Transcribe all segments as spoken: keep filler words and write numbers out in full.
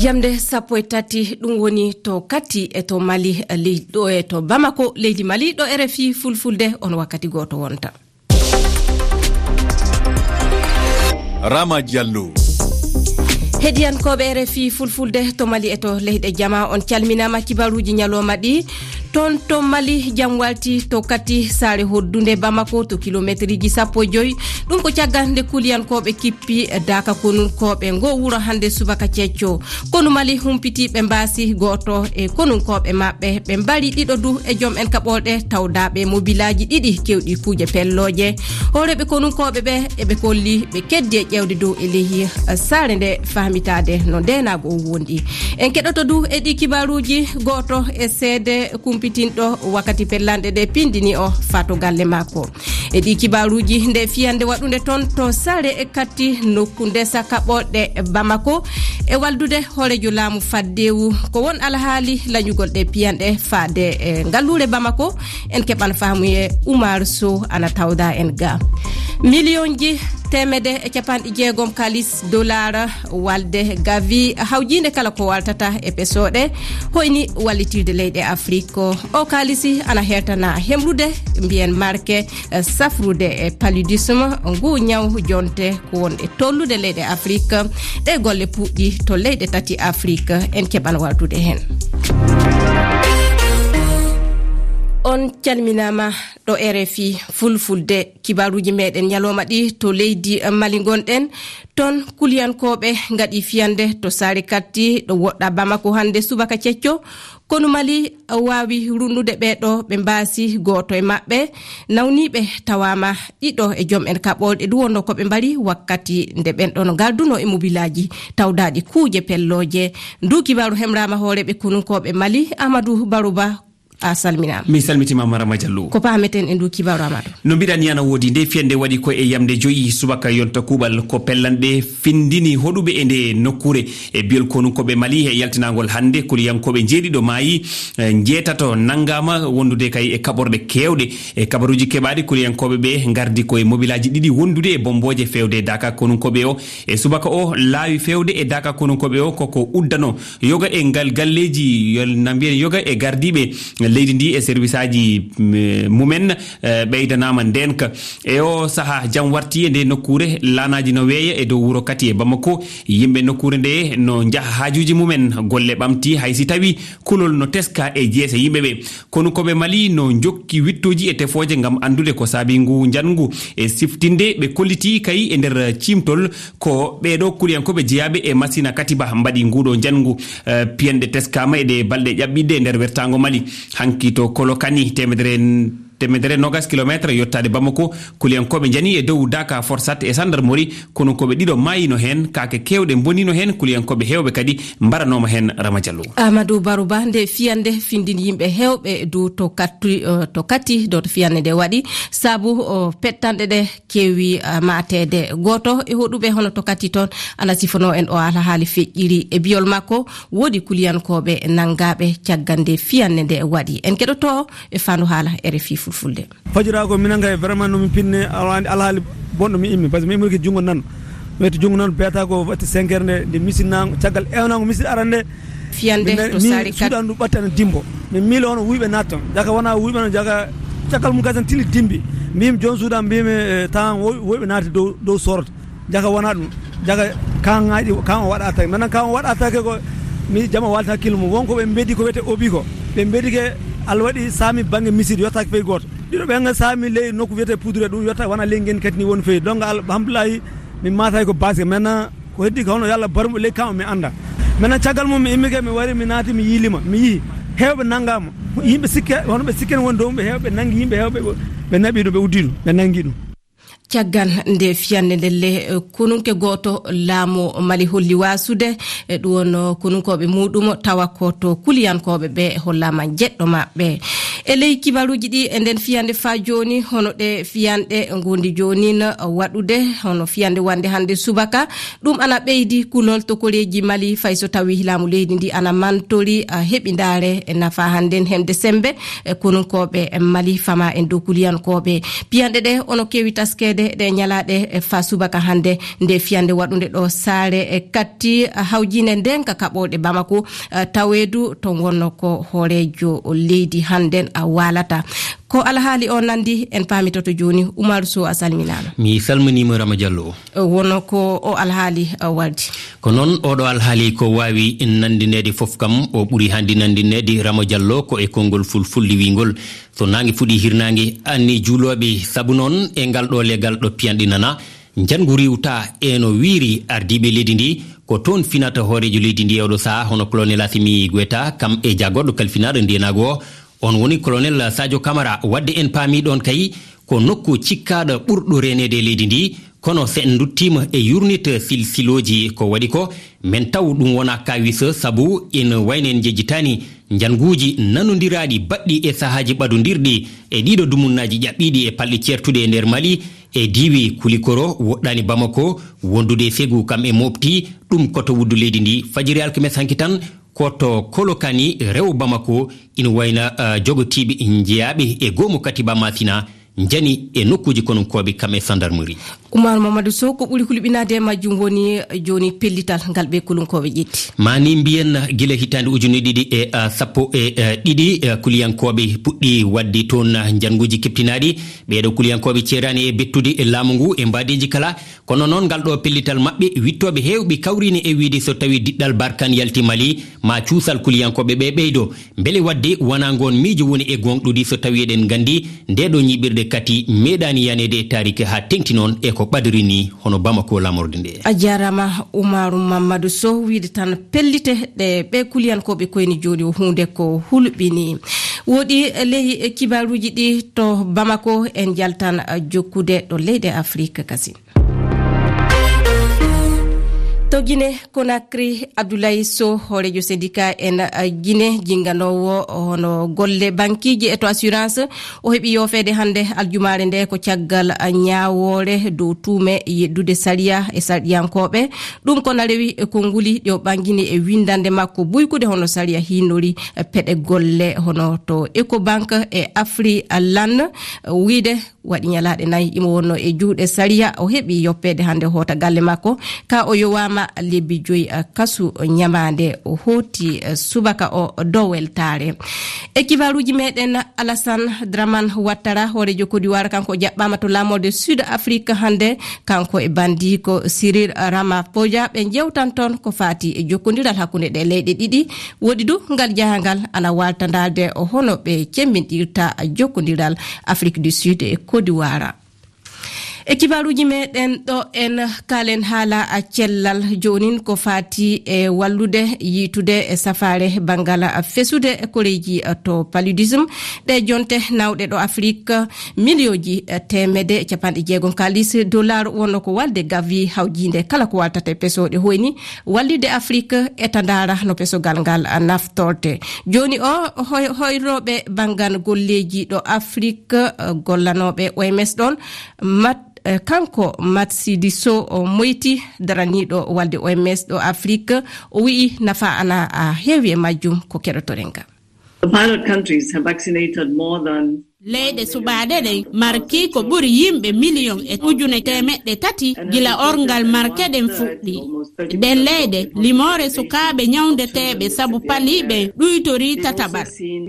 Jamde sappo e tati, ɗum woni to Kati e to Mali, ley-, ɗo e to Bamako, leydi Mali, ɗo R F I Fulfulde, on wakkati gooto wonta. Rama Diallo. Heɗiyankooɓe R F I Fulfulde to Mali e to leyɗe jama, on calminaama kibaruuji ñalawma ɗi. Toon to Mali, jam walti to Kati, saare hoddunde Bamako, to kilomeeteriji sappo e joy. Ɗum ko caggal nde kuliyankooɓe kippi daaka konunkooɓe ngo wuro hannde subaka cecco. Konu Mali humpiti, ɓe mbaasi gooto e konunkooɓe maɓɓe, ɓe mbari ɗiɗo du e joom en kaɓorɗe tawdaaɓe mobilaaji ɗiɗi kewɗi kuuje pellooje. Hooreeɓe konunkooɓe ɓe, eɓe kolli ɓe keddi e ƴeewde dow e leydi, eh, saare nde, fahmitaade no ndeenaagu o wondi. En keɗoto du e ɗi kibaaruuji gooto e seede kumpitinɗo wakkati pellanɗe ɗe pindini o faa to galle makko. E ɗi kibaaruuji, nde fiyande waɗunde toon to Sare e Kati, nokku ndesa kaɓorɗe Bamako, e waldude hooreejo laamu faddeewu, ko won alhaali lañugol ɗe piyanɗe faade e ngalluure Bamako. En keɓan faamuye Oumar Sow ana tawda en ga. Miliyonji teemedde e capanɗe jeegom kaalis dollar walde gavi hawjiinde kala ko waltata e pesooɗe, hoyni wallitirde leyɗe Afrik. O kaalisi ana hertana hemrude, mbiyen marke, eh, safrude e paludisme, ngu ñaw jonte ko won e tollude leyɗe Afrik. Ɗe golle puɗɗi to leyɗe tati Afrik, en keɓan waltude heen. On calminaama ɗo R F I Fulfulde. Kibaaruuji meɗen ñalawma ɗi to leydi Mali ngonɗen. Toon kuliyankooɓe ngaɗi fiyande to Sare Kati, ɗo woɗɗa Bamako hannde subaka cecco. Konu Mali waawi runnude ɓee ɗo ɓe mbaasi gooto e maɓɓe. Nawniiɓe tawaama, ɗiɗo e joom en kaɓorɗe du wonno ko ɓe mbari wakkati nde ɓen ɗon ngardunoo e mobilaaji tawdaaɗi kuuje pellooje. Ndu kibaaru hemraama hooreeɓe konunkooɓe Mali, Amadou Barouba, a salminaama. Mi salmitiima, Marama Diallo. Ko paameten e ndu kibaaru, Amadou? No mbiɗa ni, ana woodi. Nde fiyande waɗi ko e yamde joyi subaka yonta kuuɓal, ko pellanɗe findini hoɗuɓe e nde nokkuure. E biyol konunkooɓe Mali, e yaltinaangol hannde, kuliyankooɓe njeeɗiɗo maayi, e njeetato nanngaama wondude kay e kaɓorɗe keewɗe. E kabaruuji keɓaaɗi, kuliyankooɓe ɓe ngardi ko e mobilaaji ɗiɗi wondude e bombooje feewde daaka konunkooɓe o. E subaka o, laawi feewde e daaka konunkooɓe o koko uddano. Yoga e ngal galleeji, yo-, na mbiyen yoga e gardiiɓe leydi ndi e serwisaaji, mm, mumen, eh, ɓeydanaama ndeenka. E o sahaa, jam warti e nde nokkuure, laanaaji no weeya e dow wuro Kati e Bamako. Yimɓe nokkuure nde no njaha haajuuji mumen, golle ɓamti, hay si tawi kulol no teska e jeese yimɓe ɓe. Konunkooɓe Mali no njokki wittooji e tefooje ngam anndude ko saabi ngu njanngu. E siftinde, ɓe kolliti kay e nder ciimtol ko ɓee ɗo kuliyankooɓe jeyaaɓe e Masina Katiba mbaɗi nguuɗo njanngu. Eh, piyanɗe teskaama e ɗe balɗe ƴaɓɓiɗɗe e nder wertaango Mali. Hanki to Kolokani, teemedere, teemedere nogas kilomeetre yottaade Bamako, kuliyankooɓe njani e dow daaka Forsat e sandarmori, konunkooɓe ɗiɗo maayino heen, kaake keewɗe mbonino heen, kuliyankooɓe heewɓe kadi mbaranooma heen, Rama Diallo. Amadou Barouba, nde fiyande findini yimɓe heewɓe du to Kati, eh, to Kati, do to fiyande nde waɗi, sabu, o, pettanɗe ɗe keewi, eh, maateede. Gooto e hoɗuɓe hono to Kati toon ana sifonoo en o alhaali feƴƴiri. E biyol makko, woodi kuliyankooɓe nanngaaɓe caggal nde fiyande nde waɗi. En keɗoto e faandu haala R F I Fulfulde. Fajira ko minen kay vraiment no min pinne, alhaali, alhaali bonɗo mi immi, parce que mi immike junngo nano. Mi wetti junngo nano, beeta ko watti cinq heures nde, nde misin nango, caggal ewnango misin arande. Fiyande min to mi Sare Kati. Suuɗa ndu ɓatti ana dimbo. Min miilo hono wuyɓe natta toon. Jaka wona wuyɓe no jaka, caggal mum kadi tan tili dimbi. Mbimi joom suuɗa, mbimi, eh, tawan woy-, woyɓe naati dow, dow sorata. Jaka wona ɗum. Jaka kan ŋaaƴi, kan o waɗa attaque. Maintenant kan o waɗa attaque ko mi jama walta hakkille mum. Won ko ɓe mbedi ko wiyete obi ko. Ɓe mbedi ke Allah waɗi saami bannge misir yottaaki fey gooto. Ɗiɗo ɓe nga saami ley nokku wiyete poudre ɗum yotta wona ley ngen kadi ni woni fey. Donc alhamdulillahi min maatayi ko base. Maintenant ko heddi ko hono yo Allah barmu ley kan o mi annda. Maintenant caggal mum mi immike mi wari mi naati mi yiilima. Mi yihi heewɓe nanngaama. Yimɓe sikke hono ɓe sikke ne woni dow ɓe heewɓe nanngi yimɓe heewɓe ɓe naɓi ɗum ɓe uddi ɗum ɓe nanngi ɗum. Caggal nde fiyannde ndelle, eh, konunke gooto laamu Mali holli waasude, eh, ɗum won konunkooɓe muuɗum, tawa ko to kuliyankooɓe ɓe hollaama jeɗɗo maɓɓe. E ley kibaruuji ɗi, e nden fiyannde faa jooni, hono ɗe fiyanɗe ngondi joonin waɗude, hono fiyannde wonnde hannde subaka, ɗum ana ɓeydi kulol to koreeji Mali, fay so tawii laamu leydi ndi ana mantori, ah, heɓindaare e nafa hannden hemde semmbe, e konunkooɓe Mali, fama en dow kuliyankooɓe. Piyanɗe ɗe ono keewi taskeede Ɗe ñalaaɗe, e, faa subaka hannde, nde fiyannde waɗunde ɗo saare, e, katti, e, hawjiinde ndeenka kaɓooɗe Bamako, e, taweedu toon wonno ko hooreejo leydi hannden a waalata. Ko alhaali o nanndi, en paamitoto jooni. Umaru Sow, a salminaama. Mi salminiima, Rama Diallo. E, wonno ko o alhaali, e, wardi. Ko noon, oɗo alhaali ko waawi nanndineede fof kam, o ɓuri hannde nanndineede, Rama Diallo, ko e konngol fulfulde wiingol, so naange fuɗi, hirnaange anni juulooɓe. Sabu noon, e ngal ɗo legal ɗo piyanɗe nana, njanngu riiwta e no wiiri ardiiɓe leydi ndi, ko toon finata hooreejo leydi ndi e oɗo sahaa, hono Colonel Assimi Goïta, kam e jagorɗo kalfinaaɗo ndeenaagu o, on woni Colonel Sadio Camara. Wadde en paami ɗoon kay, ko nokku cikkaaɗo ɓurɗo reeneede e leydi ndi, kono so en nduttiima e yurnit silsilooji ko waɗi ko, men taw ɗum wonaa kaawis, sabu ina wayno en njejjitaani njannguuji nanondiraaɗi baɗɗi e sahaaji ɓadondirɗi e ɗiɗo dumunnaaji ƴaɓɓiiɗi e palɗe ceertuɗe e nder Mali, e diiwi Kulikoro, woɗɗaani Bamako, wondude e Segu kam e Mopti, ɗum ko to wuddu leydi ndi. Fajiri alkames hanki tan, ko to Kolokani, rewo Bamako, ina wayna, eh, jogotiiɓe njeyaaɓe e goomu Katiba Masina, njani e nokkuuji konunkooɓe kam e sandarmeri. Umar Mamadou Sow, ko ɓuri hulɓinaade e majjum woni jooni pellital ngal ɓe kulunkooɓe ƴetti. Maa ni mbiyen gila hitaande ujunere ɗiɗi e, eh, sappo e, eh, ɗiɗi, eh, kuliyankooɓe puɗɗi waɗde toon, eh, njannguuji keptinaaɗi. Ɓeeɗo kuliyankooɓe ceeraani e bettude e laamu ngu e mbaadeeji kala. Kono noon, ngal ɗo pellital maɓɓe, wiɗtooɓe heewɓe kawriino e wiyde so tawii diɗɗal Barkan yalti Mali, ma cuusal kuliyankooɓe ɓe ɓeydo. Mbele waɗde wonaa ngoon miijo woni e gooŋɗude so tawii eɗen nganndi ndee ɗo ñiiɓirde kati meeɗaani yaneede e taariki haa teŋti noon e ko ɓadori ni hono Bamako lamorde nde. A jaaraama Umaru Mamadou Sow, wiyde tan pellite ɗe ɓe kuliyankooɓe koyni jooni o huunde ko hulɓini. Woɗi ley kibaaruuji ɗi to Bamako en njaltan jokkude ɗo leyɗe Afrik kasin. To Gine Konakri, Abdoulaye Sow, hooreejo syndicat en, uh, Gine, jinnganoowo hono golle bankiiji e to assurance, o heɓi yoofeede hannde aljumaare nde ko caggal, uh, ñaawoore dow tuume yeddude sariya e sarɗiyankooɓe. Ɗum ko na rewi e konnguli ɗi o ɓangini e winndannde makko buykude hono sariya hinnori, uh, peɗe golle hono to Ecobank e Afrilan, uh, wiyde waɗi ñalaaɗe nayi imo wonno e juuɗe sariya. O heɓi yoppeede hannde hoota galle makko, ka o yowaama lebbi joyi, eh, kasu ñamaande. O hooti, eh, subaka o dow weltaare. E kibaaruuji meɗen, Alassane Dramane Ouattara, hooreejo Côte d'Ivoire, kanko o jaɓɓaama to laamorde Sud Afrique hannde, kanko e bandiiko Cyril Ramaphosa, ɓe njewtan toon ko faati e jokkondiral hakkunde ɗe leyɗe ɗiɗi. Woɗi du ngal jahangal ana waalta ndaarde hono ɓe cemmbinɗirta jokkondiral Afrique du Sud e Côte d'Ivoire. E kibaaruuji meɗen ɗo en kaalen haala cellal joonin ko faati e wallude yiitude e safaare banngal fesude koreeji to paludisme. Ɗe jonte nawɗe ɗo Afrik, miliyonji teemedde e capanɗe jeegom kaalis dollar wonno ko walde Gavi hawjiinde kala ko waltata e pesooɗe hoyni wallitde Afrik e ta ndaara no pesogal ngal naftorte. Jooni o, hoy-, hoyrooɓe banngal golleeji ɗo Afrik, eh, gollanooɓe O M S ɗoon, Mat-, eh, kanko Matsidiso o Moyti, daraniiɗo walde O M S ɗo Afrik, o wi'i nafa ana, ah, heewi e majjum ko keɗotoren ga. The pilot countries have vaccinated more than Leyɗe suɓaaɗe ɗen marki ko ɓuri yimɓe miliyon e ujune teemeɗɗe tati gila orngal marke ɗen fuɗɗi. Ɗen leyɗe, limoore sukaaɓe ñawndeteeɓe sabu pali ɓen ɗuytorii tataɓal.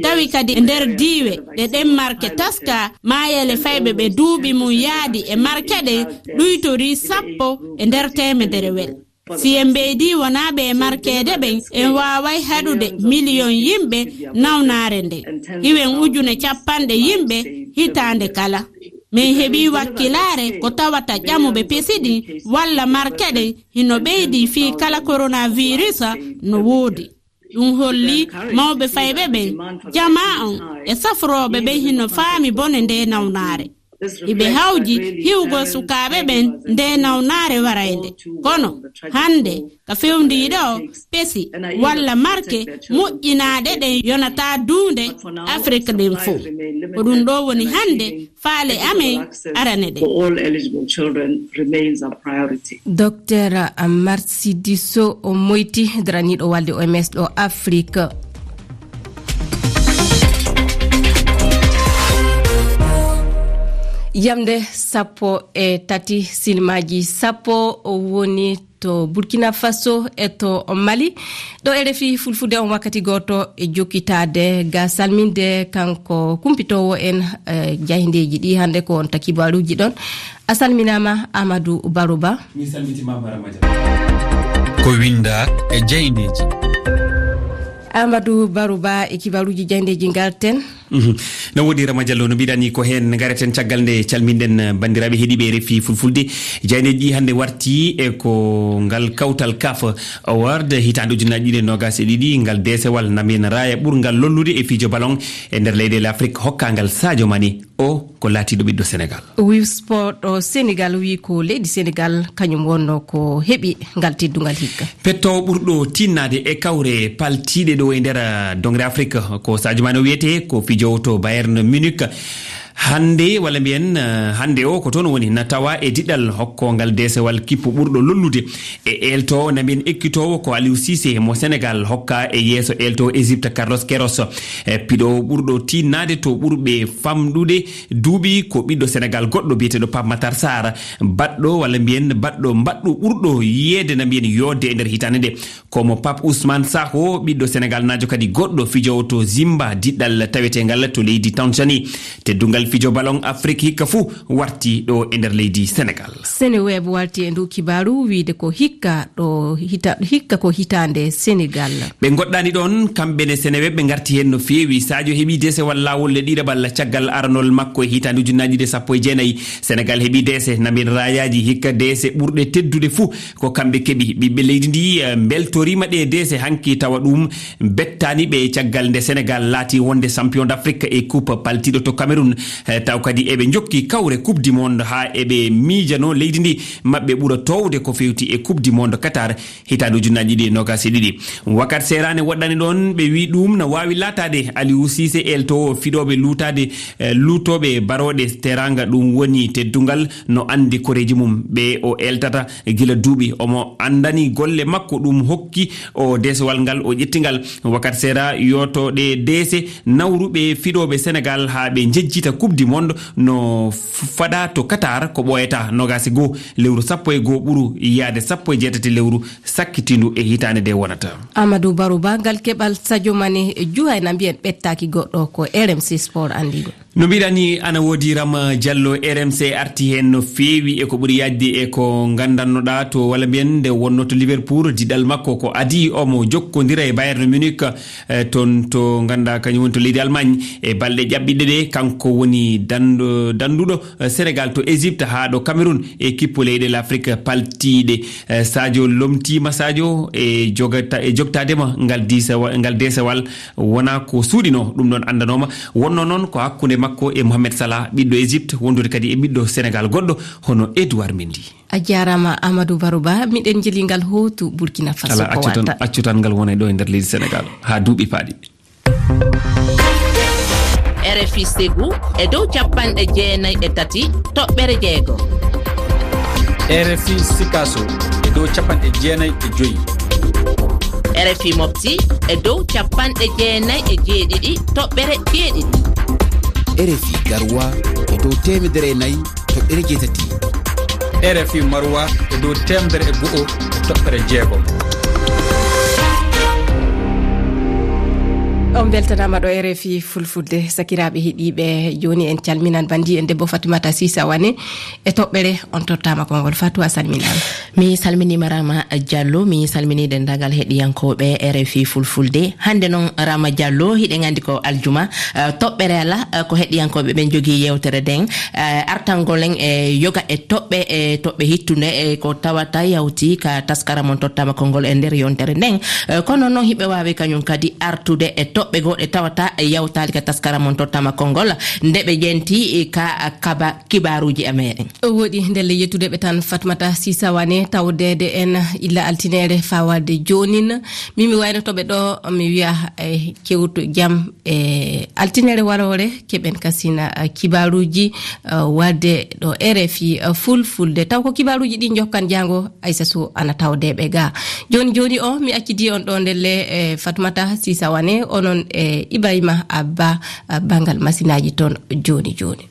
Tawi kadi e nder diiwe ɗe ɗen marke taska, maayele fayɓe ɓe duuɓi mum yaadi e marke ɗen ɗuytorii sappo e nder teemedere wel. Si en ɓeydii wonaaɓe e markeede ɓen, en waaway haɗude miliyon yimɓe nawnaare nden. Hiwen ujune cappanɗe yimɓe hitaande kala. Min heɓii wakkilaare ko tawata ƴamuɓe pesi ɗin walla marke ɗen hino ɓeydii fii kala coronavirus no woodi. Ɗum holli mawɓe fayɓe ɓen, jamaa on e safrooɓe ɓen hino faami bone ndee nawnaare. Iɓe hawji hiwgol sukaaɓe ɓen ndee nawnaare waraynde. Kono hannde ka fewndii ɗoo, pesi walla marke moƴƴinaaɗe ɗen yonataa duunde Afrik ɗen fow. Ko ɗum ɗoo woni hannde faale amen arane ɗen. For all eligible children remains our priority. Docteur Matsidiso Moyti, daraniiɗo walde O M S ɗo Afrik. Yamde sappo e tati, silmaaji sappo woni to Burkina Faso e to Mali. Ɗo R F I Fulfulde, on wakkati gooto e jokkitaade ga salminde kanko kumpitoowo en, eh, jayndeeji ɗi hannde ko on ta kibaaruuji ɗon. A salminaama, Amadou Barouba. Mi salmitiima, Marama Dia. Ko winnda e jayndeeji. Amadou Barouba e kibaaruuji jayndeeji ngarten. Mhm. No woodi, Rama Diallo, no mbiɗani ko heen ngareten caggal nde calminɗen, eh, banndiraaɓe heɗiiɓe R F I Fulfulde. Jayndeeji ɗi hannde warti e ko ngal kawtal CAF Award hitaande ujunnaji ɗiɗi e noogas e ɗiɗi, ngal deesewal Namina Raya ɓurngal lollude e fijo ballon e nder leyɗeele Afrik hokkaangal Sadio Mané. O ko laatiiɗo ɓiɗɗo Senegal. Wi Sport ɗo Senegal wi ko leydi Senegal kañum wonno ko heɓi ngal teddungal hikka. Pettoowo ɓurɗo tinnaade e kawre paltiiɗe ɗo e nder, ah, dongre Afrik ko Sadio Mané o wiyetee, ko fijoowo to Bayern Munich. Hannde, walla mbiyen, ah, hannde o ko toon woni na tawa e diɗal hokkoongal deesewal kippu ɓurɗo lollude e eeltoowo na mbiyen ekkitoowo ko Aliou Cissé mo Senegal hokka e yeeso eeltoowo Égypte Carlos Queiroz. E piɗoowo ɓurɗo tinnaade to ɓurɓe famɗude duuɓi ko ɓiɗɗo Senegal goɗɗo biyeteeɗo Pape Matar Sarr, baɗɗo walla mbiyen baɗɗo mbaɗɗo ɓurɗo yiyeede na mbiyen yoodde e nder hitaande nde. Ko mo Pape Ousmane Sakho, ɓiɗɗo Senegal naajo kadi goɗɗo fijoowo to Zimba, diɗɗal taweteengal to leydi Tanzanie. Teddungal fijo ballon Afrik hikka fuu warti ɗo e nder leydi Senegal. Seneweb warti e ndu kibaaru wiyde ko hikka ɗo hita-, hikka ko hitaande Senegal. Ɓe ngoɗɗani ɗoon, kamɓe ne Seneweb ɓe ngarti heen no feewi. Sadio heɓi deesewal laawol e ɗiɗaɓal caggal aranol makko e hitaande ujunnaji ɗiɗi e sappo e jeenayi. Senegal heɓi deese, na mbiyen raayaaji hikka deese ɓurɗe teddude fuu ko kamɓe keɓi. Ɓiɓɓe leydi ndi, eh, mbeltoriima ɗe deese hanki tawa ɗum bettaani ɓe caggal nde Senegal laati wonde champion d'Afrique e coupe paltiiɗo to Cameroun. Eh, taw kadi eɓe njokki kawre Coupe du Monde haa eɓe miijano leydi ndi maɓɓe ɓura toowde ko feewti e Coupe du Monde Qatar hitaande ujunnaji ɗiɗi e noogas e ɗiɗi. Wakat seeraani woɗɗani ɗoon, ɓe wi ɗum na waawi laataade. Aliou Cissé, eeltoowo fiɗooɓe luutaade, eh, luutooɓe barooɗe teraanga, ɗum woni teddungal no anndi koreeji mum. Ɓe o eeltata gila duuɓi, omo anndani golle makko, ɗum hokki o deesewal ngal, o ƴetti ngal. Wakat seera yooto ɗe deese nawruɓe fiɗooɓe Senegal haa ɓe njejjita Coupe du Monde no f-, faɗa to Qatar, ko ɓooyata noogas e goo lewru sappo e goo ɓuru yaade sappo e jeetati lewru sakkitiindu e hitaande nde wonata. Amadou Barouba, ngal keɓal Sadio Mané juhayna mbiyen ɓettaaki goɗɗo, ko R M C Sport anndini. No mbiɗa ni, ana woodi Rama Diallo, R M C arti heen no feewi e ko ɓuri yaajde e ko nganndannoɗaa to, walla mbiyen nde wonnoo to Liverpool, diɗal makko ko adii omo jokkondira e Bayern Munich, eh, toon to ngannduɗaa kañum woni to leydi Allemagne. E balɗe ƴaɓɓiɗe ɗe, kanko woni danndo-, dannduɗo, eh, Senegal to Égypte haa ɗo Cameroun e kippu leyɗe l'Afrique paltiiɗe. Eh, Sadio lomtiima, Sadio e jogata-, e jogtaade ma ngal diisewal, ngal deesewal wonaa ko suuɗinoo, ɗum ɗoon anndanooma. Wonnoo noon ko hakkunde makko e Mohamed Salah, ɓiɗɗo Égypte, wondude kadi e ɓiɗɗo Senegal goɗɗo hono Edouard Mendy. A jaaraama, Amadou Barouba. Miɗen njeli ngal hootu Burkina Faso. Alaa, ko accu tan, watta? Accu tan ngal wona ɗo e nder leydi Senegal haa duuɓi paaɗi. R F I Ségou e dow capanɗe jeenayi e tati toɓɓere jeego. R F I Sikaso e dow capanɗe jeenayi e joyi. R F I Mopti e dow capanɗe jeenayi e jeeɗiɗi toɓɓere jeeɗiɗi. R F I Garoua e dow teemedere e nayi toɓɓere jeetati. R F I Maroua e dow teemedere e go'o toɓɓere jeegom. On mbeltanaama ɗo R F I Fulfulde. Sakiraaɓe heɗiiɓe, jooni en calminan banndiiɗo en debbo Fatimata Sisa Wane e toɓɓere. On tottaama konngol. Fatou, a salminaama. Mi salminiima Rama Diallo, mi salminii denndaangal heɗiyankooɓe R F I Fulfulde. Hannde noon, Rama Diallo, hiɗen anndi ko aljuma, eh, toɓɓere alaa, eh, ko heɗiyankooɓe ɓen njogii yeewtere nden, eh, artangol en e yoga e toɓɓe, e toɓɓe hittunde, e ko tawata yawti ka taskara mon tottaama konngol e nder yontere nden. Eh, kono noon, hiɓe waawi kañum kadi artude e toɓɓe goo ɗe tawata yawtaali ka taskara mon tottaama konngol, nde ɓe ƴenti, eh, ka kaba kibaaruuji e meeɗen. Woɗi ndelle yettude ɓe tan, Fatmata Sisa Wane, tawdeede en illa altineere fawaade joonin. Min mi waynoto ɓe ɗo, mi wiya, eh, kewtu jam e altineere waroore, keɓen kasina, eh, kibaaruuji, eh, waɗde ɗo R F I, eh, Fulfulde. Taw ko kibaaruuji ɗi njokkan jaango, Aissa Sow ana tawde ɓe ga. Jooni jooni o, mi accidi on ɗo ndelle, eh, Fatmata Sisa Wane, onon e Ibrahima Abba, eh, banngal masinaaji toon jooni jooni.